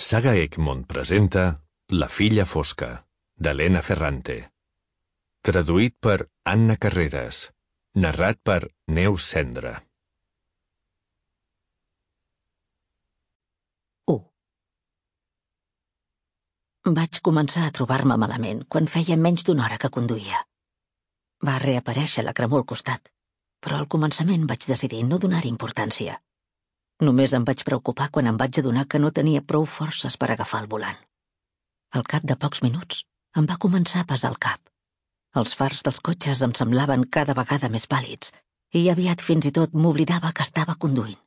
Saga Egmont presenta La filla fosca, d'Helena Ferrante. Traduït per Anna Carreras. Narrat per Neus Cendra. 1. Vaig començar a trobar-me malament quan feia menys d'una hora que conduïa. Va reaparèixer la cremor al costat, però al començament vaig decidir no donar-hi importància. Només em vaig preocupar quan em vaig adonar que no tenia prou forces per agafar el volant. Al cap de pocs minuts em va començar a pesar el cap. Els fars dels cotxes em semblaven cada vegada més pàl·lids i aviat fins i tot m'oblidava que estava conduint.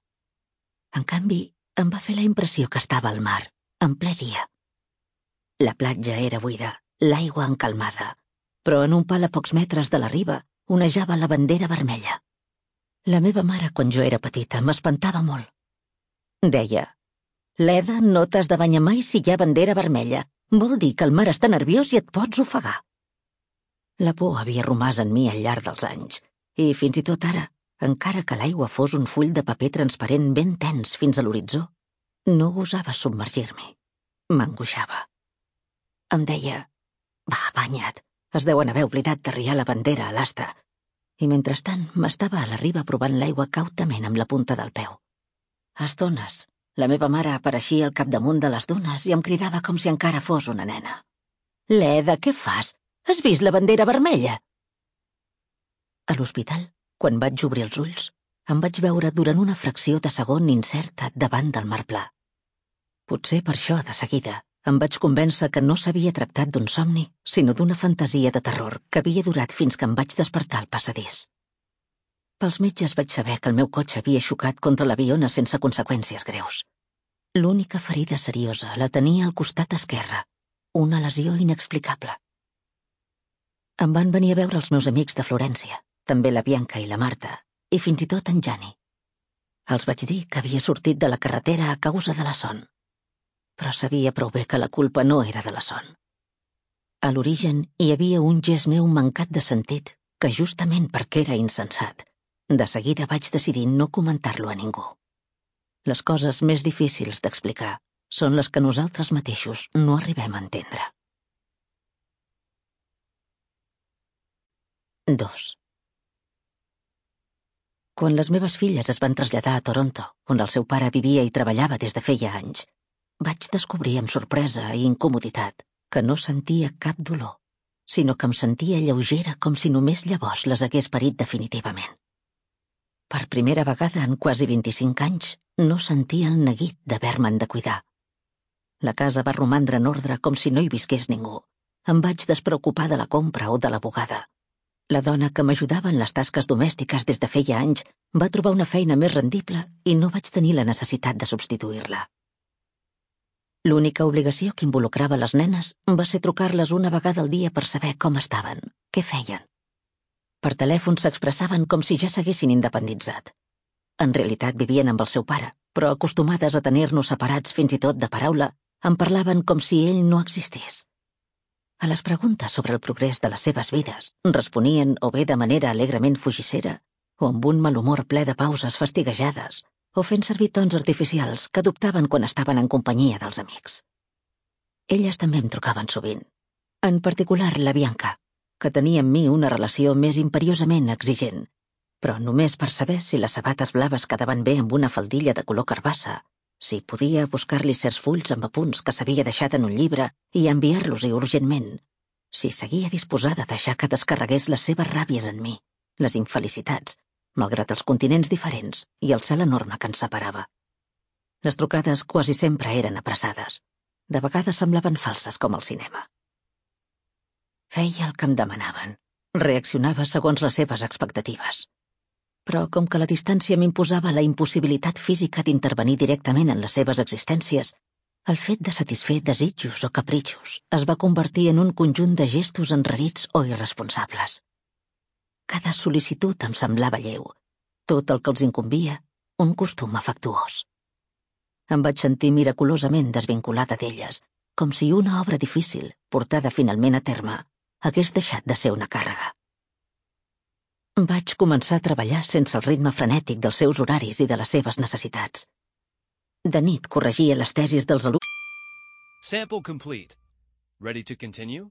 En canvi, em va fer la impressió que estava al mar, en ple dia. La platja era buida, l'aigua encalmada, però en un pal a pocs metres de la riba onejava la bandera vermella. La meva mare, quan jo era petita, m'espantava molt. Deia: «Leda, no t'has de banyar mai si hi ha bandera vermella. Vol dir que el mar està nerviós i et pots ofegar». La por havia romàs en mi al llarg dels anys, i fins i tot ara, encara que l'aigua fos un full de paper transparent ben tens fins a l'horitzó, no gosava submergir-m'hi. M'angoixava. Em deia: «Va, banya't, es deuen haver oblidat d'arriar la bandera a l'asta». I mentrestant m'estava a la riba provant l'aigua cautament amb la punta del peu. A estones, la meva mare apareixia al capdamunt de les dunes i em cridava com si encara fos una nena. «Leda, què fas? Has vist la bandera vermella?» A l'hospital, quan vaig obrir els ulls, em vaig veure durant una fracció de segon incerta davant del mar pla. Potser per això, de seguida, em vaig convèncer que no s'havia tractat d'un somni, sinó d'una fantasia de terror que havia durat fins que em vaig despertar al passadís. Pels metges vaig saber que el meu cotxe havia xocat contra l'aviona sense conseqüències greus. L'única ferida seriosa la tenia al costat esquerre, una lesió inexplicable. Em van venir a veure els meus amics de Florència, també la Bianca i la Marta, i fins i tot en Jani. Els vaig dir que havia sortit de la carretera a causa de la son. Però sabia prou bé que la culpa no era de la son. A l'origen hi havia un gest meu mancat de sentit que, justament perquè era insensat, de seguida vaig decidir no comentar-lo a ningú. Les coses més difícils d'explicar són les que nosaltres mateixos no arribem a entendre. 2. Quan les meves filles es van traslladar a Toronto, on el seu pare vivia i treballava des de feia anys, vaig descobrir amb sorpresa i incomoditat que no sentia cap dolor, sinó que em sentia lleugera com si només llavors les hagués parit definitivament. Per primera vegada en quasi 25 anys no sentia el neguit d'haver-me'n de cuidar. La casa va romandre en ordre com si no hi visqués ningú. Em vaig despreocupar de la compra o de la bugada. La dona que m'ajudava en les tasques domèstiques des de feia anys va trobar una feina més rendible i no vaig tenir la necessitat de substituir-la. L'única obligació que involucrava les nenes va ser trucar-les una vegada al dia per saber com estaven, què feien. Per telèfon s'expressaven com si ja s'haguessin independitzat. En realitat vivien amb el seu pare, però acostumades a tenir-nos separats fins i tot de paraula, em parlaven com si ell no existís. A les preguntes sobre el progrés de les seves vides responien o bé de manera alegrement fugissera, o amb un malhumor ple de pauses fastiguejades, o fent servir tons artificials que adoptaven quan estaven en companyia dels amics. Elles també em trucaven sovint, en particular la Bianca, que tenia amb mi una relació més imperiosament exigent, però només per saber si les sabates blaves quedaven bé amb una faldilla de color carbassa, si podia buscar-li certs fulls amb apunts que s'havia deixat en un llibre i enviar-los-hi urgentment, si seguia disposada a deixar que descarregués les seves ràbies en mi, les infelicitats, malgrat els continents diferents i el cel enorme que ens separava. Les trucades quasi sempre eren apressades. De vegades semblaven falses com al cinema. Feia el que em demanaven. Reaccionava segons les seves expectatives. Però com que la distància m'imposava la impossibilitat física d'intervenir directament en les seves existències, el fet de satisfer desitjos o capritxos es va convertir en un conjunt de gestos enrarits o irresponsables. Cada sol·licitud em semblava lleu, tot el que els incumbia, un costum afectuós. Em vaig sentir miraculosament desvinculada d'elles, com si una obra difícil, portada finalment a terme, hagués deixat de ser una càrrega. Vaig començar a treballar sense el ritme frenètic dels seus horaris i de les seves necessitats. De nit corregia les tesis dels alumnes. Sample complete. Ready to continue?